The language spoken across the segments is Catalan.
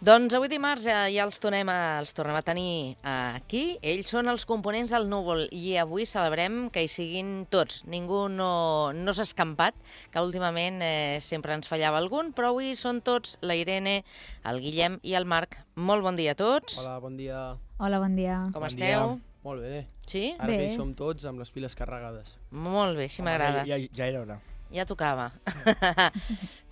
Doncs avui dimarts ja els tornem a tenir aquí. Ells són els components del Núvol i avui celebrem que hi siguin tots. Ningú no s'ha escampat, que últimament sempre ens fallava algun, però avui són tots, la Irene, el Guillem i el Marc. Molt bon dia a tots. Hola, bon dia. Hola, bon dia. Com esteu? Molt bé. Sí? Ara que Bé. hi som tots amb les piles carregades. Molt bé, així m'agrada. Ja era hora. Ja tocava.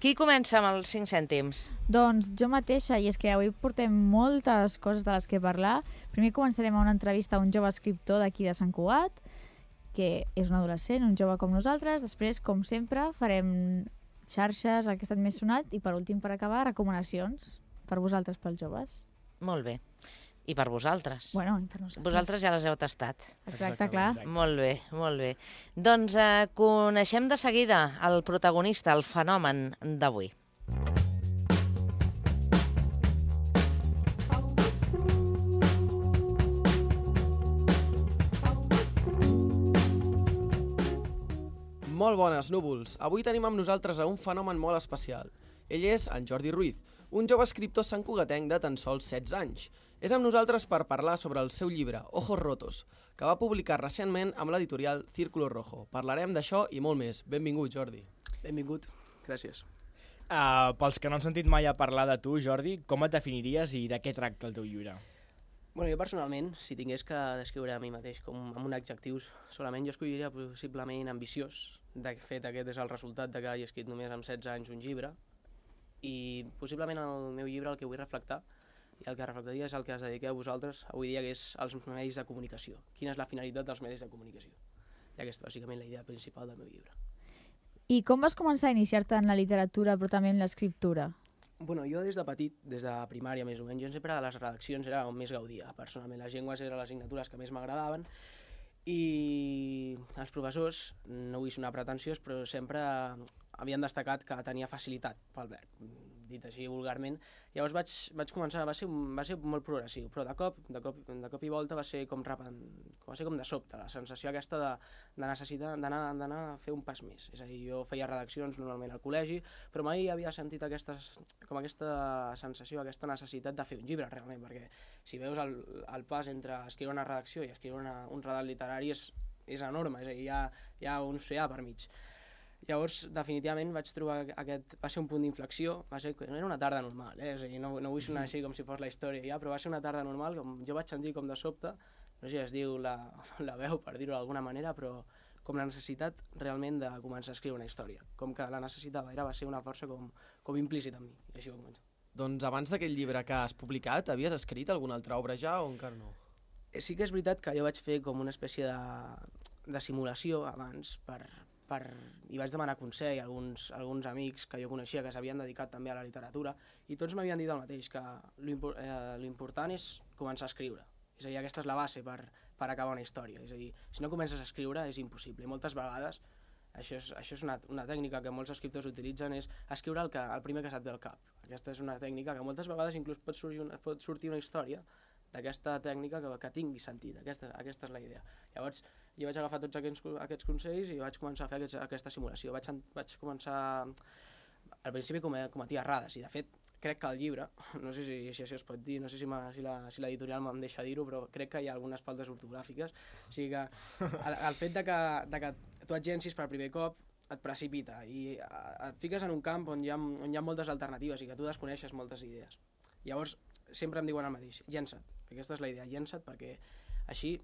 Qui comença amb els 5 cèntims? Doncs jo mateixa, i és que avui portem moltes coses de les que parlar. Primer començarem amb una entrevista a un jove escriptor d'aquí de Sant Cugat, que és un adolescent, un jove com nosaltres. Després, com sempre, farem xarxes, el que ha estat més sonat, i per últim, per acabar, recomanacions per vosaltres, pels joves. Molt bé. I per vosaltres? Bueno, i per nosaltres. Vosaltres ja les heu tastat. Exacte, clar. Molt bé, molt bé. Doncs coneixem de seguida el protagonista, el fenomen d'avui. Molt bones, núvols! Avui tenim amb nosaltres a un fenomen molt especial. Ell és en Jordi Ruiz, un jove escriptor santcugatenc de tan sols 16 anys. És amb nosaltres per parlar sobre el seu llibre, Ojos Rotos, que va publicar recentment amb l'editorial Círculo Rojo. Parlarem d'això i molt més. Benvingut, Jordi. Benvingut, gràcies. Pels que no han sentit mai a parlar de tu, Jordi, com et definiries i de què tracta el teu llibre? Bueno, jo personalment, si tingués que descriure a mi mateix com amb un adjectiu solament, jo escolliria possiblement ambiciós. De fet, aquest és el resultat de que hagi escrit només amb 16 anys un llibre, i possiblement el meu llibre el que vull reflectar i el que reflectaria és el que es dediqueu a vosaltres avui dia, que és els medis de comunicació. Quina és la finalitat dels medis de comunicació? I aquesta és bàsicament la idea principal del meu llibre. I com vas començar a iniciar-te en la literatura, però també en l'escriptura? Bueno, jo des de petit, des de primària més o menys, jo sempre a les redaccions era on més gaudia. Personalment, les llengües eren les assignatures que més m'agradaven i els professors, no vull sonar pretensiós, però sempre havien destacat que tenia facilitat pel verb, dit així vulgarment. Llavors vaig començar, va ser molt progressiu, però de cop i volta va ser com de sobte, la sensació aquesta de necessitar d'anar a fer un pas més. És a dir, jo feia redaccions normalment al col·legi, però mai havia sentit aquesta sensació, aquesta necessitat de fer un llibre realment, perquè si veus el pas entre escriure una redacció i escriure un redat literari és enorme, és a dir, hi ha un oceà per mig. Llavors, definitivament, vaig trobar va ser un punt d'inflexió, era una tarda normal, és a dir, no vull sonar així com si fos la història ja, però va ser una tarda normal, com jo vaig sentir com de sobte, no sé si es diu la veu, per dir-ho d'alguna manera, però com la necessitat realment de començar a escriure una història, com que la necessitava, va ser una força com implícita en mi, i així va començar. Doncs abans d'aquell llibre que has publicat, havies escrit alguna altra obra ja o encara no? Sí que és veritat que jo vaig fer com una espècie de simulació abans i vaig demanar consell a alguns amics que jo coneixia que s'havien dedicat també a la literatura i tots m'havien dit el mateix, que l'important és començar a escriure. És a dir, aquesta és la base per acabar una història. És a dir, si no comences a escriure és impossible. I moltes vegades, això és una tècnica que molts escriptors utilitzen, és escriure el primer que se't ve al cap. Aquesta és una tècnica que moltes vegades inclús pot sortir una història d'aquesta tècnica que tingui sentit. Aquesta és la idea. Llavors, jo vaig agafar tots aquests consells i vaig començar a fer aquesta simulació. Vaig començar, al principi cometia errades, i de fet crec que el llibre, no sé si això es pot dir, no sé si l'editorial em deixa dir-ho, però crec que hi ha algunes faltes ortogràfiques. O sigui que el fet de que tu et llencis per primer cop et precipita i et fiques en un camp on hi ha moltes alternatives i que tu desconeixes moltes idees. Llavors, sempre em diuen el mateix, llença't. Aquesta és la idea, llença't, perquè així,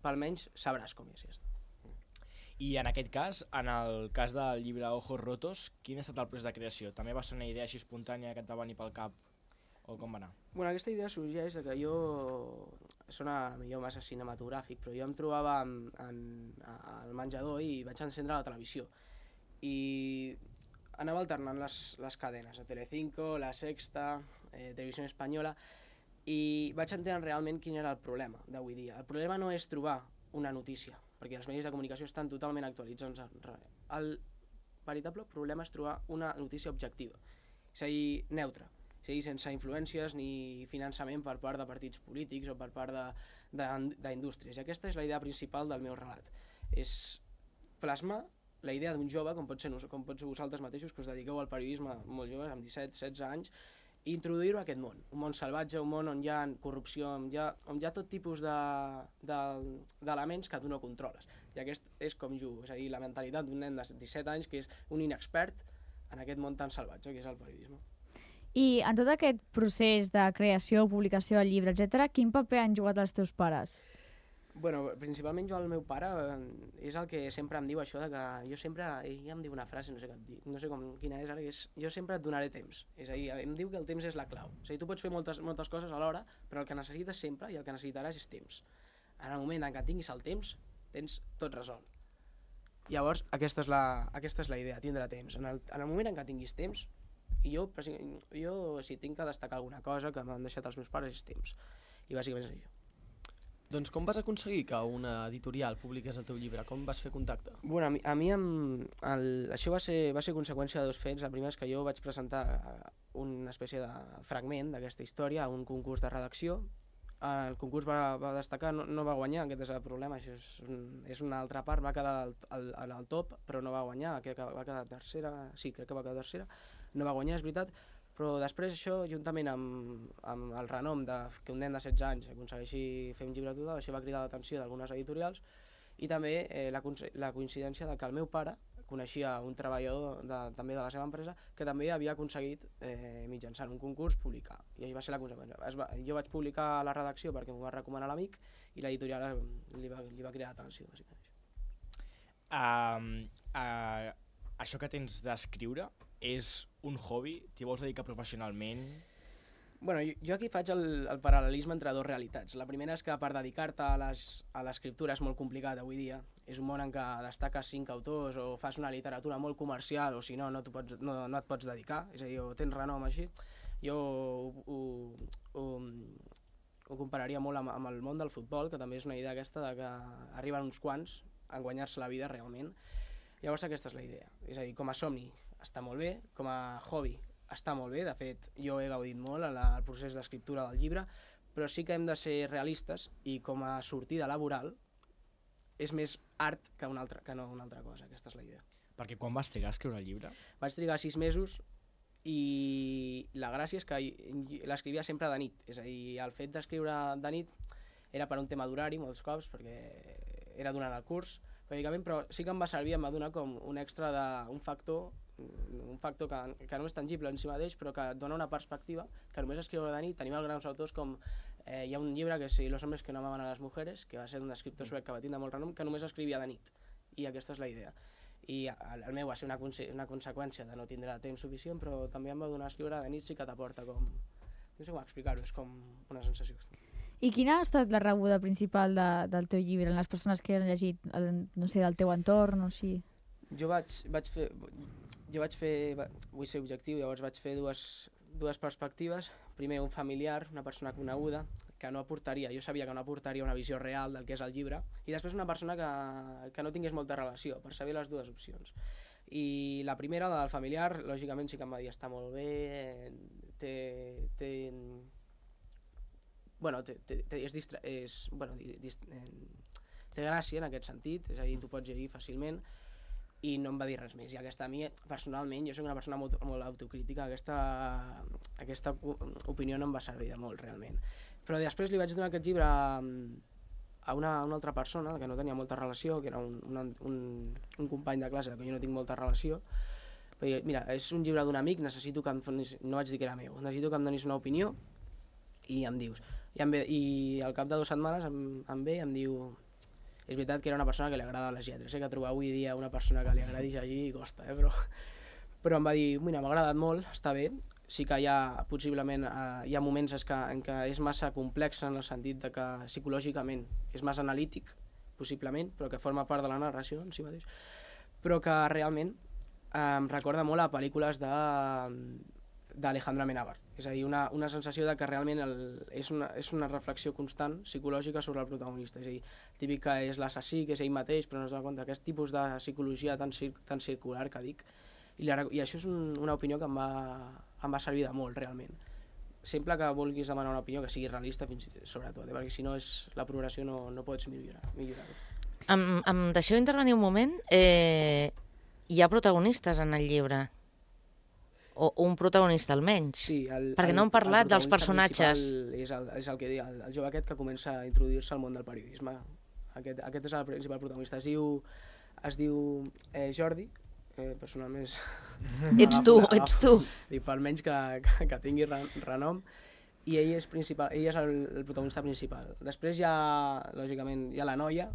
almenys, sabràs com és. I en aquest cas, en el cas del llibre Ojos Rotos, quin ha estat el procés de creació? També va ser una idea així espontània que et va venir pel cap? O com va anar? Bueno, aquesta idea sorgeix que sona millor massa cinematogràfic, però jo em trobava al menjador i vaig encendre la televisió. I anava alternant les cadenes, a Telecinco, La Sexta, Televisió Espanyola, i vaig entendre realment quin era el problema d'avui dia. El problema no és trobar una notícia, perquè els medis de comunicació estan totalment actualitzats. El veritable problema és trobar una notícia objectiva, és a dir, neutra, és a dir, sense influències ni finançament per part de partits polítics o per part d'indústries. I aquesta és la idea principal del meu relat. És plasmar la idea d'un jove, com pot ser vosaltres mateixos, que us dediqueu al periodisme molt joves, amb 17-16 anys, i introduir-ho a aquest món. Un món salvatge, un món on hi ha corrupció, on hi ha tot tipus d'elements que tu no controles. I aquest és com jugo, és a dir, la mentalitat d'un nen de 17 anys que és un inexpert en aquest món tan salvatge que és el periodisme. I en tot aquest procés de creació, publicació del llibre, etc., quin paper han jugat els teus pares? Bueno, principalment el meu pare és el que sempre em diu això de que jo sempre, ell em diu una frase, no sé quina és ara, que és jo sempre et donaré temps. És a dir, em diu que el temps és la clau. És a dir, tu pots fer moltes coses alhora, però el que necessites sempre i el que necessitaràs és temps. En el moment en què tinguis el temps, tens tot resolt. Llavors, aquesta és la idea, tindre temps. En el moment en què tinguis temps, i jo si tinc que destacar alguna cosa que m'han deixat els meus pares és temps. I bàsicament és això. Doncs com vas aconseguir que una editorial publiqués el teu llibre? Com vas fer contacte? Bueno, a mi això va ser conseqüència de dos fets. El primer és que jo vaig presentar una espècie de fragment d'aquesta història a un concurs de redacció. El concurs va destacar, no va guanyar, aquest és el problema, això és una altra part, va quedar al top, però no va guanyar, va quedar tercera, sí, crec que va quedar tercera, no va guanyar, és veritat, però després això, juntament amb el renom que un nen de 16 anys aconsegueixi fer un llibre total, això va cridar l'atenció d'algunes editorials i també la coincidència de que el meu pare coneixia un treballador també de la seva empresa que també havia aconseguit mitjançant un concurs publicar, i això va ser la conseqüència. Jo vaig publicar a la redacció perquè m'ho va recomanar l'amic i l'editorial li va cridar l'atenció, bàsicament. Això que tens d'escriure és un hobby? T'hi vols dedicar professionalment? Bueno, jo aquí faig el paral·lelisme entre dues realitats. La primera és que per dedicar-te a l'escriptura és molt complicat avui dia. És un món en què destaques 5 autors o fas una literatura molt comercial o si no, no et pots dedicar. És a dir, o tens renom així. Jo ho compararia molt amb el món del futbol, que també és una idea aquesta de que arriben uns quants a guanyar-se la vida realment. Llavors aquesta és la idea. És a dir, com a somni està molt bé, com a hobby està molt bé, de fet jo he gaudit molt en el procés d'escriptura del llibre, però sí que hem de ser realistes i com a sortida laboral és més art que no una altra cosa, aquesta és la idea. Perquè quan vas trigar a escriure el llibre? Vaig trigar 6 mesos i la gràcia és que l'escrivia sempre de nit, és a dir, el fet d'escriure de nit era per un tema d'horari molts cops, perquè era durant el curs, però sí que em va servir, em va donar com un extra d'un factor que no és tangible en si mateix, però que et dona una perspectiva que només escriure de nit. Tenim els grans autors com hi ha un llibre que és Los hombres que no amaban a las mujeres, que va ser d'un escriptor suec que va tindre molt renom, que només escrivia de nit, i aquesta és la idea. I el meu va ser una conseqüència de no tindre temps suficient, però també em va donar escriure de nit, sí que t'aporta com... no sé com explicar-ho, és com una sensació. I quina ha estat la rebuda principal del teu llibre, en les persones que han llegit, no sé, del teu entorn o així? Jo vull ser objectiu, llavors vaig fer dues perspectives. Primer, un familiar, una persona coneguda, que no aportaria, jo sabia que no aportaria una visió real del que és el llibre, i després una persona que no tingués molta relació, per saber les dues opcions. I la primera, la del familiar, lògicament sí que em va dir està molt bé, té gràcia en aquest sentit, és a dir, tu pots llegir fàcilment, i no em va dir res més. I aquesta, a mi, personalment, jo soc una persona molt autocrítica, aquesta opinió no em va servir de molt, realment. Però després li vaig donar aquest llibre a una altra persona que no tenia molta relació, que era un company de classe que jo no tinc molta relació. Però, mira, és un llibre d'un amic, necessito que em donis, no vaig dir que era meu, necessito que em donis una opinió i em dius. I al cap de 2 setmanes em ve i em diu... És veritat que era una persona que li agrada les lletres, que trobar avui dia una persona que li agradi llegir costa, però em va dir, mira, m'ha agradat molt, està bé, sí que possiblement hi ha moments en què és massa complex en el sentit de que psicològicament és massa analític, possiblement, però que forma part de la narració en si mateix, però que realment em recorda molt a pel·lícules d'Alejandro Amenábar. És a dir, una sensació de que realment és una reflexió constant psicològica sobre el protagonista. És a dir, típic que és l'assassí, que és ell mateix, però no es dona compte aquest tipus de psicologia tan circular que dic. I això és una opinió que em va servir de molt, realment. Sempre que vulguis demanar una opinió que sigui realista, sobretot, perquè si no la progressió no pots millorar-ho. Em deixeu intervenir un moment? Hi ha protagonistes en el llibre? O un protagonista almenys. Sí, Perquè no hem parlat dels protagonista personatges. principal és el que dic, el jove aquest que comença a introduir-se al món del periodisme. Aquest és el principal protagonista. Es diu Jordi, personalment és... Ets tu. Dic, per menys que tingui renom, i ell és el protagonista principal. Després lògicament, hi ha la noia,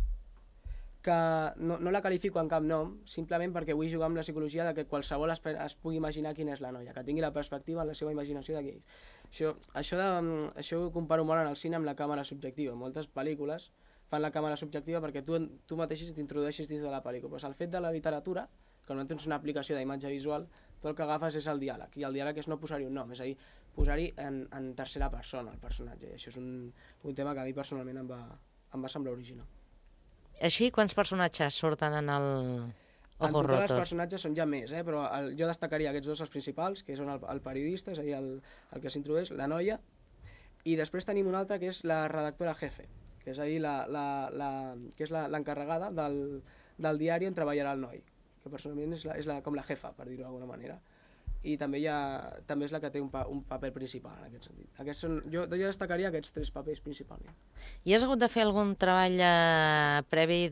que no la qualifico en cap nom, simplement perquè vull jugar amb la psicologia de que qualsevol es pugui imaginar quina és la noia, que tingui la perspectiva en la seva imaginació d'aquell. Això ho comparo molt en el cine amb la càmera subjectiva. Moltes pel·lícules fan la càmera subjectiva perquè tu mateix t'introdueixis dins de la pel·lícula. Però el fet de la literatura, que no tens una aplicació d'imatge visual, tu el que agafes és el diàleg, i el diàleg és no posar-hi un nom, és a dir, posar-hi en tercera persona el personatge, i això és un tema que a mi personalment em va semblar original. Així, quants personatges surten en el En Ojos total els Rotos? personatges són ja més, però jo destacaria aquests dos, els principals, que són el periodista, és a dir, el que s'introdueix, la noia, i després tenim una altra que és la redactora jefe, que és a dir, que és l'encarregada del diari on treballarà el noi, que personalment és com la jefa, per dir-ho d'alguna manera. I també és la que té un paper principal en aquest sentit. Jo destacaria aquests tres papers principalment. I has hagut de fer algun treball previ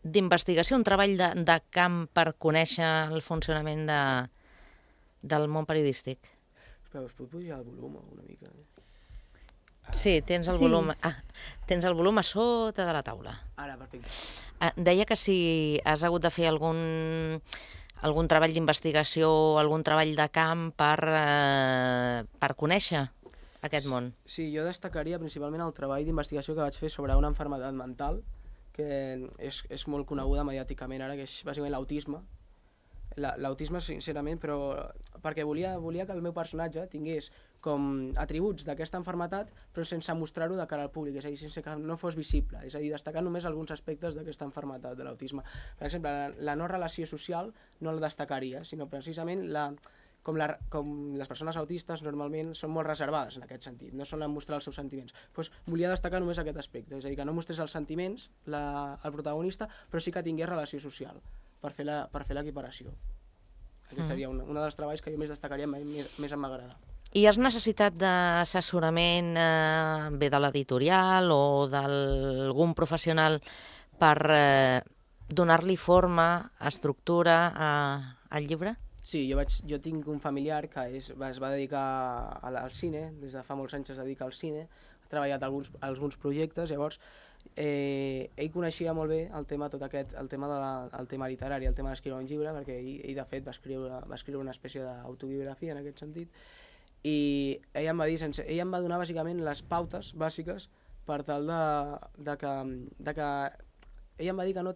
d'investigació, un treball de camp per conèixer el funcionament del món periodístic? Espera, us puc pujar el volum una mica? Sí, tens el volum. Tens el volum a sota de la taula. Ara, perfecte. Deia que si has hagut de fer algun treball d'investigació, algun treball de camp per conèixer aquest món. Sí, jo destacaria principalment el treball d'investigació que vaig fer sobre una malaltia mental que és molt coneguda mediàticament ara, que és bàsicament l'autisme. L'autisme, sincerament, però perquè volia que el meu personatge tingués com atributs d'aquesta malaltia, però sense mostrar-ho de cara al públic, és a dir, sense que no fos visible, és a dir, destacar només alguns aspectes d'aquesta malaltia de l'autisme. Per exemple, la no relació social no la destacaria, sinó precisament com les persones autistes normalment són molt reservades en aquest sentit, no solen mostrar els seus sentiments. Doncs volia destacar només aquest aspecte, és a dir, que no mostrés els sentiments el protagonista, però sí que tingués relació social, per fer l'equiparació. Aquest seria un dels treballs que jo més destacaria, més em m'agrada. I has necessitat d'assessorament bé de l'editorial o d'algun professional per donar-li forma, estructura al llibre? Sí, jo tinc un familiar que es va dedicar al cine, des de fa molts anys es dedica al cine, ha treballat alguns projectes, llavors ell coneixia molt bé el tema literari, el tema d'escriure un llibre, perquè ell de fet va escriure una espècie d'autobiografia en aquest sentit, i ell em va donar bàsicament les pautes bàsiques per tal de que ell em va dir que no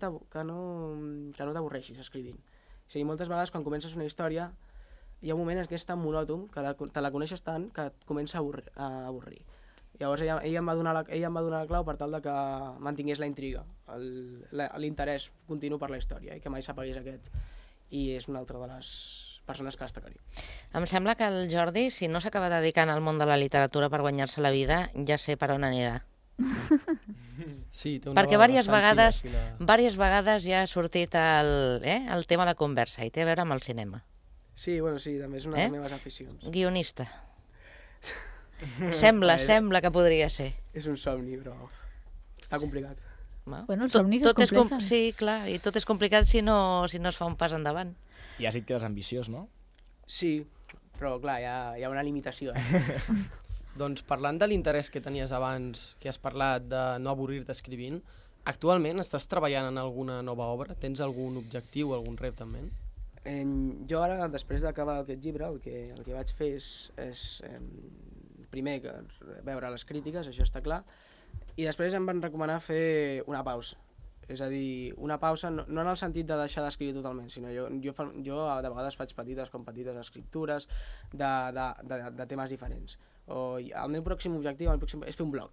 t'avorreixis escrivint. O sigui, moltes vegades quan comences una història hi ha un moment que és tan monòton, que te la coneixes tant, que et comença a avorrir. Llavors ell em va donar la clau per tal de que mantingués la intriga, l'interès continu per la història, i que mai s'apagués aquest. I és una altra de les persones que destacaria. Em sembla que el Jordi, si no s'acaba dedicant al món de la literatura per guanyar-se la vida, ja sé per on anirà. Sí, té una Perquè diverses vegades ja ha sortit el tema a la conversa i té a veure amb el cinema. Sí, també és una de les meves aficions. Guionista. Sembla que podria ser. És un somni, però està complicat. Bueno, els somnis es compleixen. Sí, clar, i tot és complicat si no es fa un pas endavant. I has dit que eres ambiciós, no? Sí, però clar, hi ha una limitació. Doncs parlant de l'interès que tenies abans, que has parlat de no avorrir-te escrivint, actualment estàs treballant en alguna nova obra? Tens algun objectiu, algun repte en ment? Jo ara, després d'acabar aquest llibre, el que vaig fer és primer veure les crítiques, això està clar, i després em van recomanar fer una pausa. És a dir, una pausa no en el sentit de deixar d'escriure totalment, sinó jo de vegades faig petites escriptures de temes diferents. El meu pròxim objectiu és fer un blog.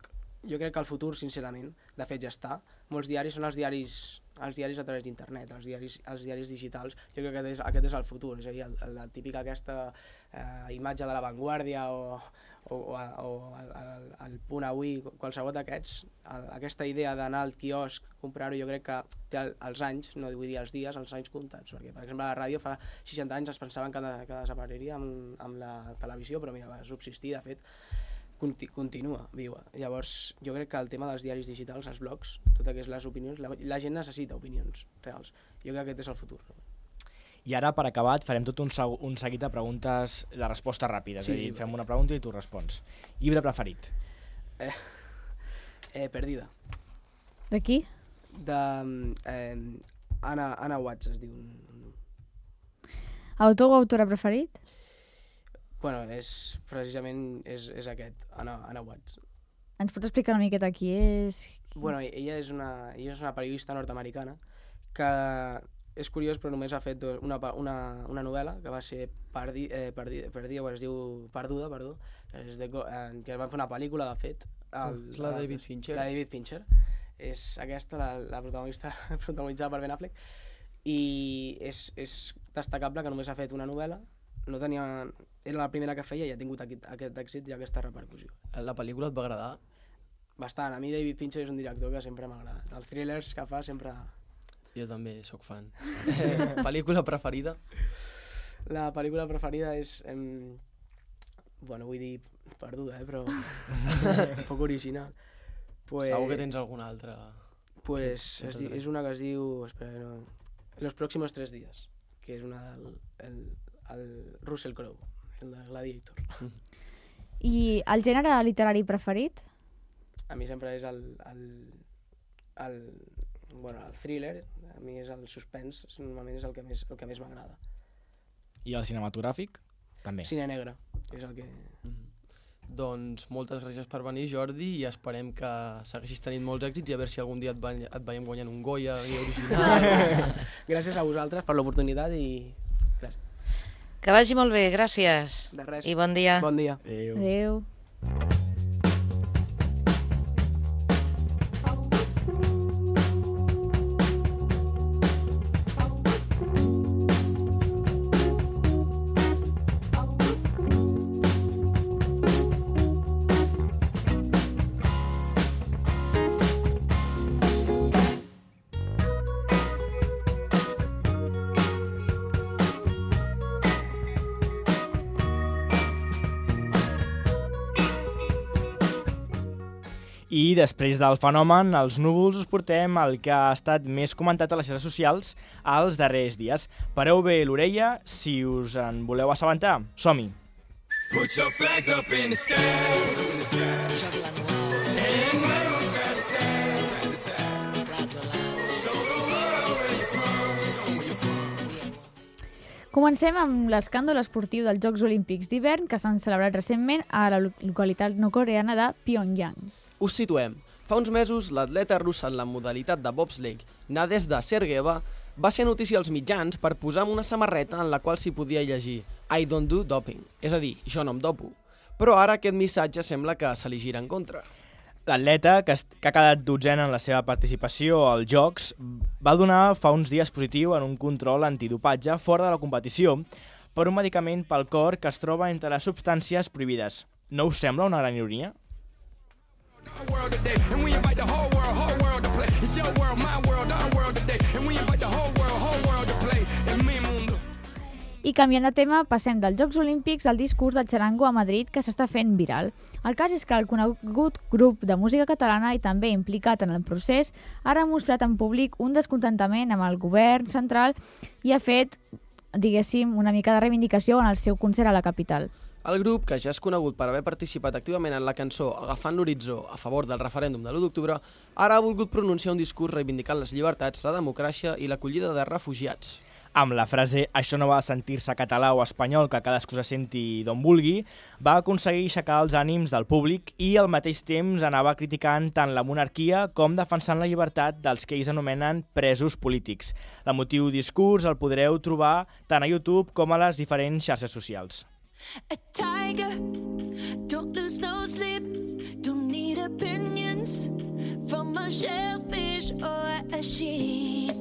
Jo crec que el futur, sincerament, de fet ja està. Molts diaris són els diaris els diaris a través d'internet, els diaris digitals. Jo crec que aquest és el futur, és a dir, la típica aquesta imatge de La Vanguardia o el Punt Avui, qualsevol d'aquests, aquesta idea d'anar al quiosc, comprar-ho, jo crec que té els anys, no vull dir els dies, els anys comptats, perquè per exemple la ràdio fa 60 anys es pensaven que desapareixeria amb la televisió, però mira, va subsistir, de fet, continua viva. Llavors, jo crec que el tema dels diaris digitals, els blogs, tot aquestes les opinions, la gent necessita opinions reals. Jo crec que aquest és el futur. I ara, per acabat, farem tot un seguit de preguntes de resposta ràpida. És a dir, fem una pregunta i tu respons. Llibre preferit? Perdida. De qui? De Anna Watts, es diu. Autor o autora preferit? Bueno, precisament és aquest, Anna Watts. Ens pots explicar una miqueta qui és? Bueno, ella és una periodista nord-americana que és curiós, però només ha fet una novel·la que va ser Perdida, o es diu Perduda, que van fer una pel·lícula, de fet. És la David Fincher. La David Fincher. És aquesta, la protagonista protagonitzada per Ben Affleck. I és destacable que només ha fet una novel·la, era la primera que feia i ha tingut aquest èxit i aquesta repercussió. La pel·lícula et va agradar? Bastant. A mi David Fincher és un director que sempre m'ha agradat. Els thrillers que fa sempre... Jo també sóc fan. Pel·lícula preferida? La pel·lícula preferida és... bueno, vull dir Perduda, però un poc original. Segur que tens alguna altra? És una que es diu... Espera, no... Los próximos 3 días, que és una del Russell Crowe, el de Gladiator. I el gènere literari preferit? A mi sempre és el thriller, a mi és el suspens, normalment és el que més m'agrada. I el cinematogràfic? També. Cine negre, és el que... Doncs moltes gràcies per venir, Jordi, i esperem que segueixis tenint molts èxits i a veure si algun dia et veiem guanyant un Goya original. Gràcies a vosaltres per l'oportunitat i gràcies. Que vagi molt bé, gràcies. De res. I bon dia. Bon dia. Adéu. I després del fenomen, els núvols, us portem el que ha estat més comentat a les xarxes socials els darrers dies. Pareu bé l'orella si us en voleu assabentar. Som-hi! Put your flags up in the sky, and wave side to side, show the world where you're from, show where you're from. Comencem amb l'escàndol esportiu dels Jocs Olímpics d'hivern que s'han celebrat recentment a la localitat no-coreana de Pyongyang. Us situem. Fa uns mesos, l'atleta russa en la modalitat de bobsleigh, Nadezhda Sergeeva, va ser notícia als mitjans per posar una samarreta en la qual s'hi podia llegir I don't do doping, és a dir, jo no em dopo. Però ara aquest missatge sembla que se li gira en contra. L'atleta, que ha quedat dotzena en la seva participació als Jocs, va donar fa uns dies positiu en un control antidopatge fora de la competició per un medicament pel cor que es troba entre les substàncies prohibides. No us sembla una gran ironia? I canviant de tema, passem dels Jocs Olímpics al discurs del xarango a Madrid que s'està fent viral. El cas és que el conegut grup de música catalana i també implicat en el procés ara ha mostrat en públic un descontentament amb el govern central i ha fet, diguéssim, una mica de reivindicació en el seu concert a la capital. El grup, que ja és conegut per haver participat activament en la cançó Agafant l'horitzó a favor del referèndum de l'1 d'octubre, ara ha volgut pronunciar un discurs reivindicant les llibertats, la democràcia i l'acollida de refugiats. Amb la frase «Això no va sentir-se català o espanyol, que cadascú se senti d'on vulgui», va aconseguir aixecar els ànims del públic i al mateix temps anava criticant tant la monarquia com defensant la llibertat dels que ells anomenen presos polítics. L'emotiu discurs el podreu trobar tant a YouTube com a les diferents xarxes socials. A tiger, don't lose no sleep, don't need opinions from a shellfish or a sheep.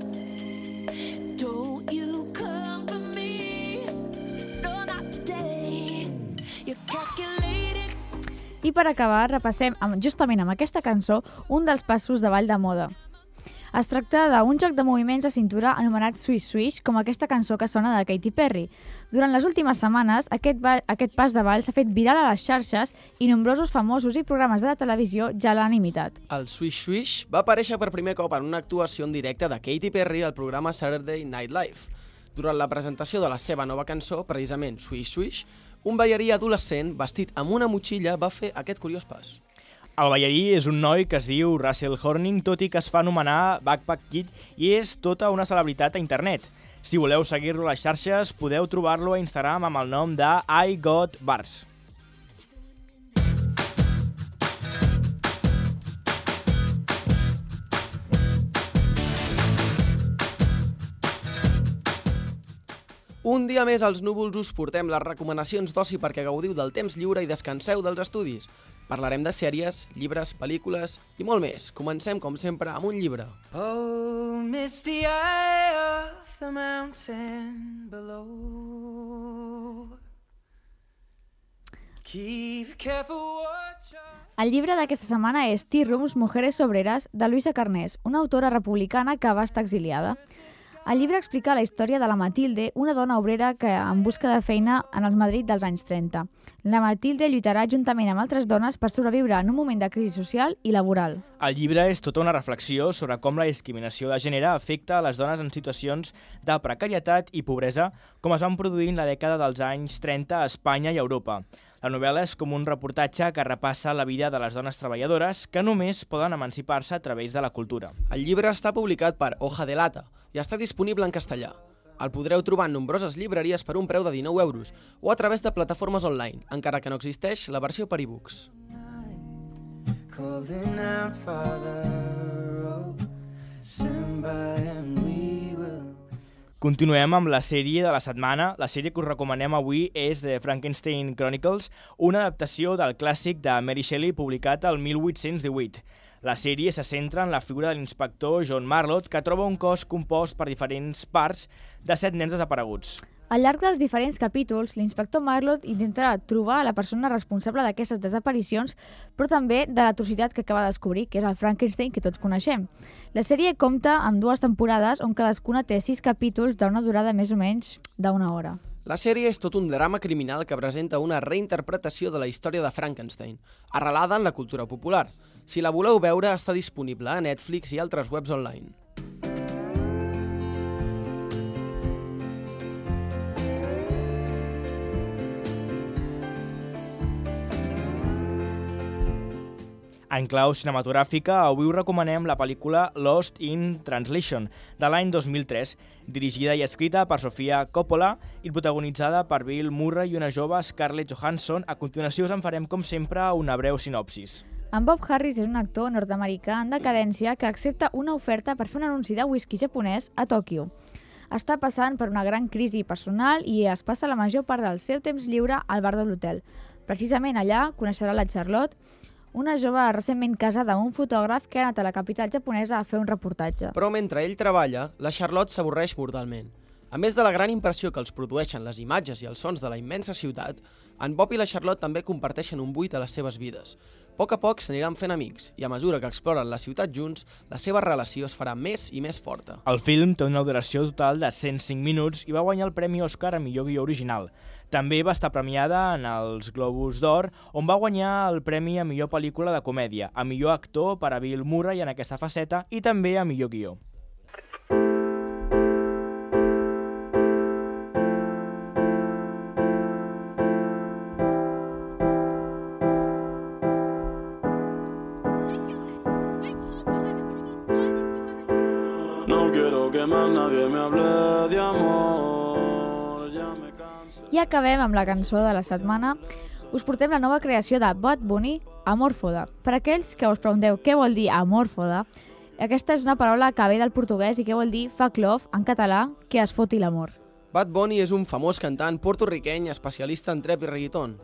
I per acabar, repassem justament amb aquesta cançó un dels passos de ball de moda. Es tracta d'un joc de moviments de cintura anomenat Swish Swish, com aquesta cançó que sona de Katy Perry. Durant les últimes setmanes, aquest pas de ball s'ha fet viral a les xarxes i nombrosos famosos i programes de televisió ja l'han imitat. El Swish Swish va aparèixer per primer cop en una actuació en directe de Katy Perry al programa Saturday Night Live. Durant la presentació de la seva nova cançó, precisament Swish Swish, un ballarí adolescent vestit amb una motxilla va fer aquest curiós pas. El ballarí és un noi que es diu Russell Horning, tot i que es fa anomenar Backpack Kid i és tota una celebritat a internet. Si voleu seguir-lo a les xarxes, podeu trobar-lo a Instagram amb el nom de I Got Bars. Un dia més als Núvols us portem les recomanacions d'oci perquè gaudiu del temps lliure i descanseu dels estudis. Parlarem de sèries, llibres, pel·lícules i molt més. Comencem, com sempre, amb un llibre. Oh, misty eye of the mountain below. Keep careful watch. El llibre d'aquesta setmana és Tea Rooms, Mujeres Obreras, de Luisa Carnés, una autora republicana que va estar exiliada. El llibre explica la història de la Matilde, una dona obrera que en busca de feina en el Madrid dels anys 30. La Matilde lluitarà juntament amb altres dones per sobreviure en un moment de crisi social i laboral. El llibre és tota una reflexió sobre com la discriminació de gènere afecta a les dones en situacions de precarietat i pobresa, com es van produir en la dècada dels anys 30 a Espanya i a Europa. La novel·la és com un reportatge que repassa la vida de les dones treballadores que només poden emancipar-se a través de la cultura. El llibre està publicat per Hoja de Lata i està disponible en castellà. El podreu trobar en nombroses llibreries per un preu de 19 euros o a través de plataformes online, encara que no existeix la versió per e-books. Calling out, Father, oh, stand by and we will. Continuem amb la sèrie de la setmana. La sèrie que us recomanem avui és The Frankenstein Chronicles, una adaptació del clàssic de Mary Shelley publicat el 1818. La sèrie se centra en la figura de l'inspector John Marlott, que troba un cos compost per diferents parts de 7 nens desapareguts. Al llarg dels diferents capítols, l'inspector Marlott intentarà trobar la persona responsable d'aquestes desaparicions, però també de l'atrocitat que acaba de descobrir, que és el Frankenstein que tots coneixem. La sèrie compta amb 2 temporades on cadascuna té 6 capítols d'una durada més o menys d'una hora. La sèrie és tot un drama criminal que presenta una reinterpretació de la història de Frankenstein, arrelada en la cultura popular. Si la voleu veure, està disponible a Netflix i altres webs online. En clau cinematogràfica, avui us recomanem la pel·lícula Lost in Translation, de l'any 2003, dirigida i escrita per Sofia Coppola i protagonitzada per Bill Murray i una jove Scarlett Johansson. A continuació us en farem, com sempre, una breu sinopsis. En Bob Harris és un actor nord-americà en decadència que accepta una oferta per fer un anunci de whisky japonès a Tòquio. Està passant per una gran crisi personal i es passa la major part del seu temps lliure al bar de l'hotel. Precisament allà coneixerà la Charlotte, una jove recentment casada amb un fotògraf que ha anat a la capital japonesa a fer un reportatge. Però mentre ell treballa, la Charlotte s'avorreix mortalment. A més de la gran impressió que els produeixen les imatges i els sons de la immensa ciutat, en Bob i la Charlotte també comparteixen un buit a les seves vides. A poc s'aniran fent amics i a mesura que exploren la ciutat junts, la seva relació es farà més i més forta. El film té una duració total de 105 minuts i va guanyar el Premi Òscar a millor guió original. També va estar premiada en els Globus d'Or, on va guanyar el Premi a millor pel·lícula de comèdia, a millor actor per a Bill Murray en aquesta faceta i també a millor guió. No quiero que más nadie me hable de amor, ya me cansé. I acabem amb la cançó de la setmana. Us portem la nova creació de Bad Bunny, Amorfoda. Per aquells que us pregunteu què vol dir Amorfoda, aquesta és una paraula que ve del portuguès i que vol dir fuck love, en català, que es foti l'amor. Bad Bunny és un famós cantant porto-riqueny especialista en trap i reggaeton.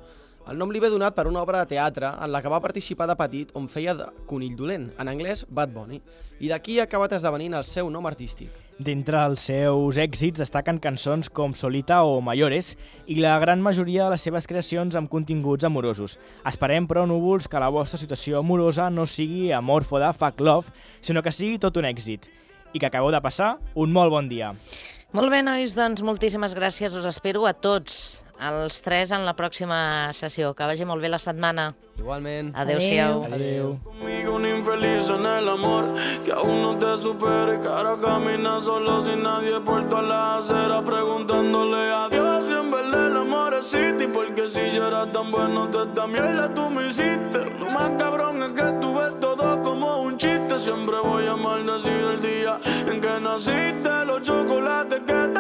El nom li ve donat per una obra de teatre en la que va participar de petit on feia de conill dolent, en anglès Bad Bunny, i d'aquí ha acabat esdevenint el seu nom artístic. D'entre els seus èxits destaquen cançons com Solita o Mayores i la gran majoria de les seves creacions amb continguts amorosos. Esperem, però, núvols, que la vostra situació amorosa no sigui amorfoda, fuck love, sinó que sigui tot un èxit. I que acabeu de passar un molt bon dia. Molt bé, nois, doncs moltíssimes gràcies. Us espero a tots, els 3, en la pròxima sessió. Que vagi molt bé la setmana. Igualment. Adéu-siau. Adéu. Conmigo un infeliz en el amor que aún no te supere, que ahora camina solo sin nadie por toda la acera preguntándole a Dios si en verdad el amor existe, porque si yo era tan bueno toda esta mierda tú me hiciste. Lo más cabrón es que tú ves todo como un chiste, siempre voy a maldecir el día en que naciste, los chocolates que